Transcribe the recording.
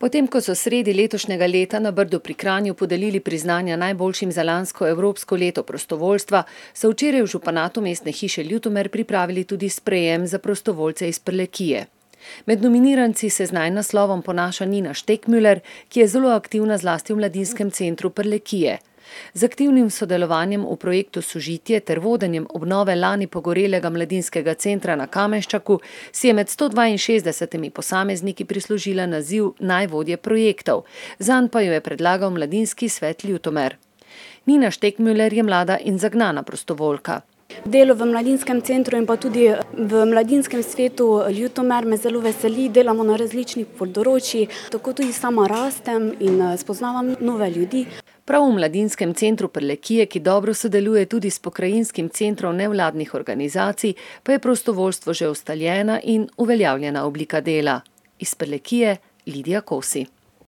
Potem, ko so sredi letošnjega leta na Brdu pri Kranju podelili priznanja najboljšim za lansko evropsko leto prostovoljstva, so včeraj v županatu mestne hiše Ljutomer pripravili tudi sprejem za prostovoljce iz Prlekije. Med nominiranci se z naslovom ponaša Nina Štekmüller, ki je zelo aktivna zlasti v mladinskem centru Prlekije. Z aktivnim sodelovanjem v projektu Sožitje ter vodenjem obnove lani pogorelega mladinskega centra na Kamenščaku si je med 162 posamezniki prislužila naziv najvodje projektov, zanj pa jo je predlagal mladinski svet Ljutomer. Nina Štekmüller je mlada in zagnana prostovoljka. Delo v mladinskem centru in pa tudi v mladinskem svetu Ljutomer me zelo veseli, delamo na različnih področjih, tako tudi sama rastem in spoznavam nove ljudi. Prav v mladinskem centru Prlekije, ki dobro sodeluje tudi s pokrajinskim centrom nevladnih organizacij, pa je prostovoljstvo že ustaljena in uveljavljena oblika dela. Iz Prlekije Lidija Kosi.